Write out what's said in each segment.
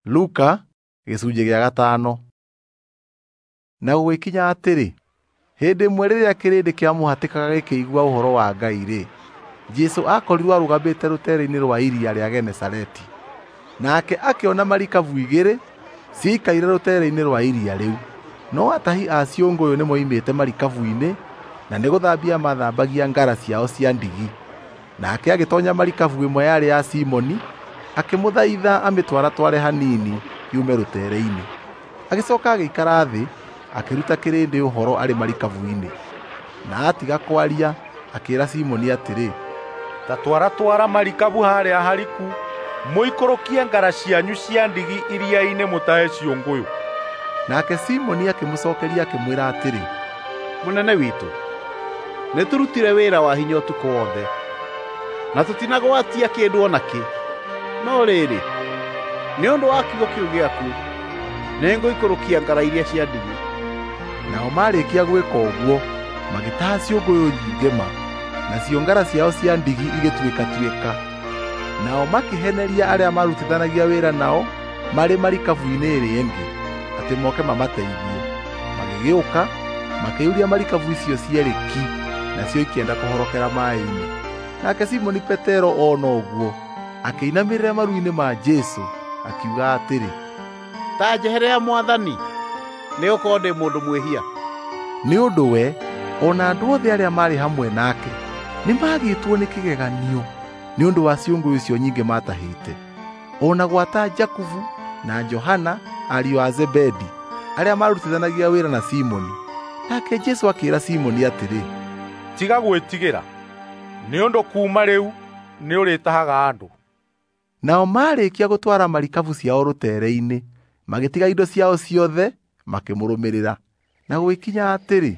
Luka gĩcunjĩ gĩa gatano. Na gũgĩkinya atĩrĩ, hĩndĩ ĩmwe rĩrĩa kĩrĩndĩ kĩamũhatĩkaga gĩkĩigua ũhoro wa Ngai-rĩ, Jesũ aakorirwo arũgamĩte rũteere-inĩ rwa iria rĩa Genesareti. Nake akĩona marikabu igĩrĩ ciikaire rũteere-inĩ rwa iria rĩu, no atahi a ciũngũyũ nĩmoimĩte marikabu-inĩ na nĩgũthambia maathambagia ngara ciao cia ndigi. Nake agĩtoonya marikabu ĩmwe yarĩ ya Simoni, akĩmũthaitha amĩtwaratware hanini yume rũteere-inĩ. Agĩcoka agĩikara thĩ, akĩruta kĩrĩndĩ ũhoro arĩ marikabu-inĩ. Na atiga kwaria, akĩĩra Simoni atĩrĩ, Ta twaratwara marikabu harĩa hariku, mũikũrũkie ngara cianyu cia ndigi iria-inĩ mũtahe ciũngũyũ. Nake Simoni akĩmũcookeria akĩmwĩra atĩrĩ, Mũnene witũ, nĩtũrutire wĩra wa hinya ũtukũ wothe, na tũtinagwatia kĩndũ o nakĩ. No rĩrĩ, nĩ ũndũ wa kiugo kĩu gĩaku, nĩngũikũrũkia ngara iria cia ndigi. Nao marĩkia gwĩka ũguo, magĩtaha ciũngũyũ nyingĩ ma, nacio ngara ciao cia ndigi igĩtuĩkatuĩka. Nao makĩheneria arĩa maarutithanagia wĩra nao marĩ marikabu-inĩ ĩrĩa ĩngĩ, atĩ moke mamateithie. Magĩgĩũka, makĩiyũria marikabu icio cierĩ ki, nacio ikĩenda kũhorokera maaĩ-inĩ. Nake Simoni Petero ona ũguo, akĩinamĩrĩra maru-inĩ ma Jesũ, akiuga atĩrĩ, Ta njeherera Mwathani, nĩgũkorwo ndĩ mũndũ mwĩhia. Nĩ ũndũ we o na andũ othe arĩa maarĩ hamwe nake nĩmagĩtwo nĩ kĩgeganio nĩ ũndũ wa ciũngũyũ icio nyingĩ maatahĩte. O na gwata Jakubu na Johana ariũ a Zebedi, arĩa maarutithanagia wĩra na Simoni. Nake Jesũ akĩĩra Simoni atĩrĩ, Tiga gwĩtigĩra, nĩ ũndũ kuuma rĩu nĩũrĩtahaga andũ. Nao marĩkia gũtwara marikabu ciao rũteere-inĩ, magĩtiga indo ciao ciothe makĩmũrũmĩrĩra. Na gũgĩkinya atĩrĩ,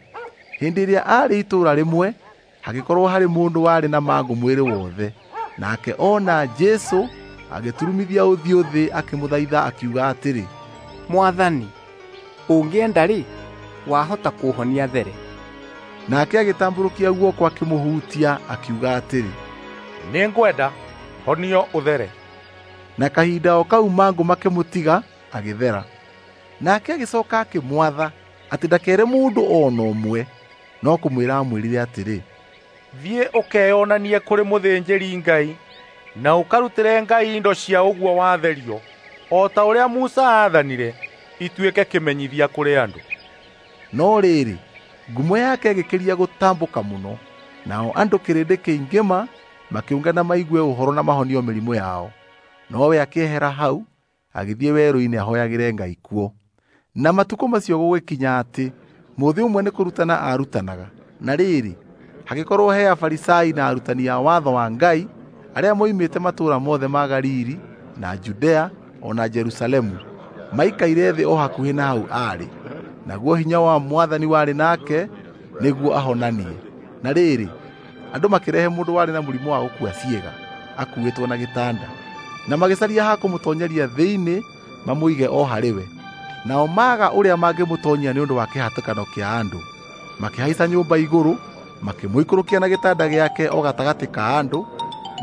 hĩndĩ ĩrĩa aarĩ itũũra rĩmwe, hagĩkorwo harĩ mũndũ warĩ na mangũ mwĩrĩ wothe. Nake ona Jesũ agĩturumithia ũthiũ thĩ akĩmũthaitha akiuga atĩrĩ, Mwathani, ũngĩenda-rĩ, wahota kũũhonia there. Nake agĩtambũrũkia guoko akĩmũhutia akiuga atĩrĩ, Nĩngwenda, honio ũthere. Na kahinda o kau mangũ makĩmũtiga agĩthera. Nake agĩcoka akĩmwatha atĩ ndakere mũndũ o na ũmwe, no kũmwĩra amwĩrire atĩrĩ, Thiĩ ũkeyonanie kũrĩ mũthĩnjĩri-Ngai na ũkarutĩre Ngai indo cia ũguo watherio, o ta ũrĩa Musa aathanire, ituĩke kĩmenyithia kũrĩ andũ. No rĩrĩ, ngumo yake ĩgĩkĩria gũtambũka mũno, nao andũ kĩrĩndĩ kĩingĩ ma makĩũngana maigue ũhoro na mahonio mĩrimũ yao. Nowe akĩehera hau, agĩthiĩ werũ-inĩ ahoyagĩre Ngai kuo. Na matukũ macio gũgĩkinya atĩ mũthĩ ũmwe nĩ kũrutana aarutanaga. Na rĩrĩ, hagĩkorwo he Afarisai na arutani a watho wa Ngai arĩa moimĩte matũũra mothe ma Galili na Judea o na Jerusalemu, maikaire thĩ o hakuhĩ na hau aarĩ. Naguo hinya wa Mwathani warĩ nake nĩguo ahonanie. Na rĩrĩ, andũ makĩrehe mũndũ warĩ na mũrimũ wa gũkua ciĩga, akuuĩtwo na gĩtanda, na magĩcaria ha kũmũtoonyeria thĩinĩ mamũige o harĩ we. Nao maaga ũrĩa mangĩmũtoonyia nĩ ũndũ wa kĩhatĩkano kĩa andũ, makĩhaica nyũmba igũrũ, makĩmũikũrũkia na gĩtanda gĩake o gatagatĩ ka andũ,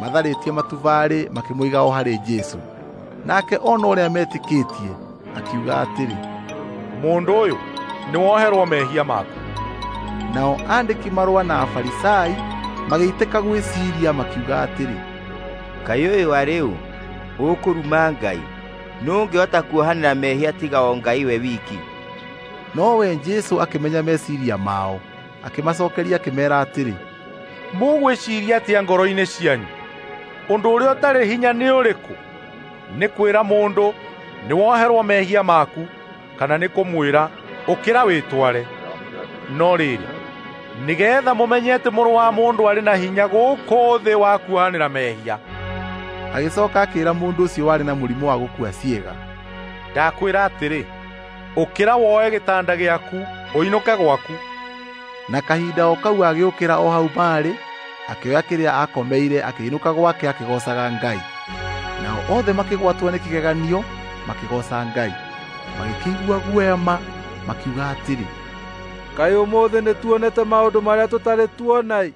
matharĩtie matubarĩ makĩmũiga o harĩ Jesũ. Nake ona ũrĩa metĩkĩtie, akiuga atĩrĩ, Mũndũ ũyũ, nĩwoherwo mehia maku. Nao andĩki marũa na Afarisai magĩitĩka gwĩciiria makiuga atĩrĩ, Kaĩ ũyũ arĩ ũ, ũkũruma Ngai? Nũũ ũngĩhota kuohanĩra mehia tiga o Ngai we wiki? Nowe Jesũ akĩmenya meciiria mao, akĩmacookeria akĩmeera atĩrĩ, Mũgwĩciiria atĩa ngoro-inĩ cianyu? Ũndũ ũrĩa ũtarĩ hinya nĩ ũrĩkũ? Nĩ kwĩra mũndũ, nĩwoherwo mehia maku, kana nĩ kũmwĩra, ũkĩra wĩtware? No rĩrĩ, nĩgeetha mũmenye atĩ Mũrũ wa Mũndũ arĩ na hinya gũkũ thĩ wa kuohanĩra mehia. Agĩcoka akĩĩra mũndũ ũcio warĩ na mũrimũ wa gũkua ciĩga, Ndakwĩra atĩrĩ, ũkĩra woe gĩtanda gĩaku, ũinũke gwaku. Na kahinda o kau agĩũkĩra o hau maarĩ, akĩoya kĩrĩa aakomeire akĩinũka gwake akĩgoocaga Ngai. Nao othe makĩgwatwo nĩ kĩgeganio, makĩgooca Ngai. Magĩkĩigua guoya ma, makiuga atĩrĩ, Kaĩ ũmũthĩ nĩtuonete maũndũ marĩa tũtarĩ tuona-ĩ!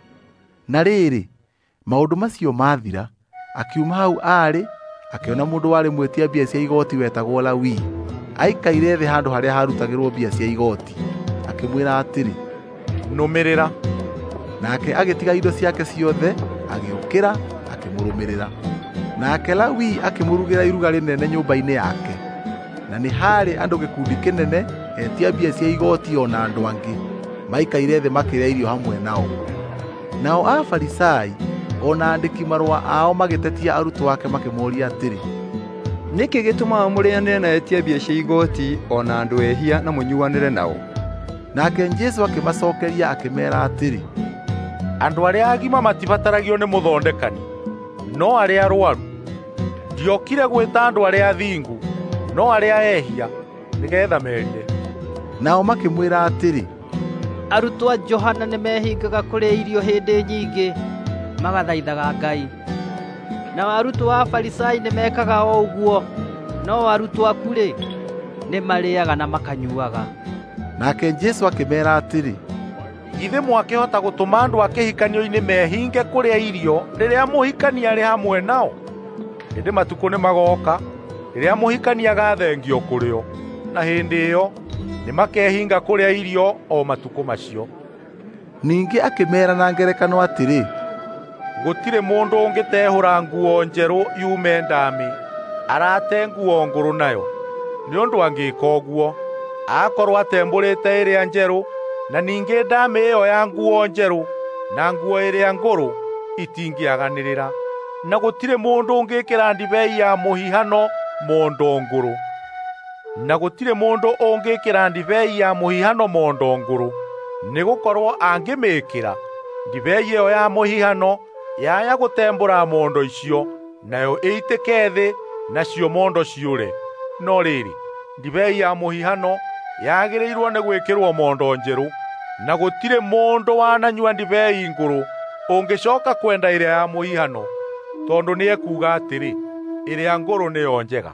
Na rĩrĩ, maũndũ macio maathira, akiuma hau aarĩ, akĩona mũndũ warĩ mwĩtia mbia cia igooti wetagwo Lawi aikaire thĩ handũ harĩa harutagĩrwo mbia cia igooti, akĩmwĩra atĩrĩ, "Nũmĩrĩra." Nake agĩtiga indo ciake ciothe, agĩũkĩra akĩmũrũmĩrĩra. Nake Lawi akĩmũrugĩra iruga rĩnene nyũmba-inĩ yake, na nĩ haarĩ andũ gĩkundi kĩnene etia mbia cia igooti o na andũ angĩ maikaire thĩ makĩrĩa irio hamwe nao. Nao Afarisai o na andĩki marũa ao magĩtetia arutwo ake makĩmooria atĩrĩ, "Nĩkĩ gĩtũmaga mũrĩanĩre na etia mbia cia igooti o na andũ ehia na mũnyuanĩre nao?" Nake Jesũ akĩmacookeria akĩmeera atĩrĩ, "Andũ arĩa agima matibataragio nĩ mũthondekani, no arĩa arũaru. Ndiokire gwĩta andũ arĩa athingu, no arĩa ehia, nĩgeetha merire." Nao makĩmwĩra atĩrĩ, "Arutwo a Johana nĩmehingaga kũrĩa irio hĩndĩ nyingĩ magathaithaga Ngai. Nao arutwo a Afarisai nĩmekaga o ũguo, no arutwo aku-rĩ, nĩmarĩĩaga na makanyuuaga." Nake Jesũ akĩmeera atĩrĩ, "Githĩ mwakĩhota gũtũma andũ a kĩhikanio-inĩ mehinge kũrĩa irio rĩrĩa mũhikania arĩ hamwe nao? Ĩndĩ matukũ nĩmagooka rĩrĩa mũhikania agathengio kũrĩ o, na hĩndĩ ĩyo nĩmakehinga kũrĩa irio o matukũ macio." Ningĩ akĩmeera na ngerekano atĩrĩ, "Gũtirĩ mũndũ ũngĩtehũra nguo njerũ yume ndaamĩ arate nguo ngũrũ nayo, nĩ ũndũ angĩĩka ũguo, akorwo atembũrĩte ĩrĩa njerũ, na ningĩ ndaamĩ ĩyo ya nguo njerũ na nguo ĩrĩa ngũrũ itingĩaganĩrĩra. Na gũtirĩ mũndũ ũngĩĩkĩra ndibei ya mũhihano mondo ngũrũ. Na gũtirĩ mũndũ ũngĩĩkĩra ndibei ya mũhihano mondo ngũrũ, nĩgũkorwo angĩmĩĩkĩra, ndibei ĩyo ya mũhihano yaya gũtembũra mondo icio, nayo ĩitĩke thĩ, nacio mondo ciũre. No rĩrĩ, ndibei ya mũhihano yagĩrĩirwo nĩ gwĩkĩrwo mondo njerũ, na gũtirĩ mũndũ wananyua ndibei ngũrũ ũngĩcooka kwenda ĩrĩa ya mũhihano, tondũ nĩekuuga atĩrĩ, ĩrĩa ngũrũ nĩyo njega."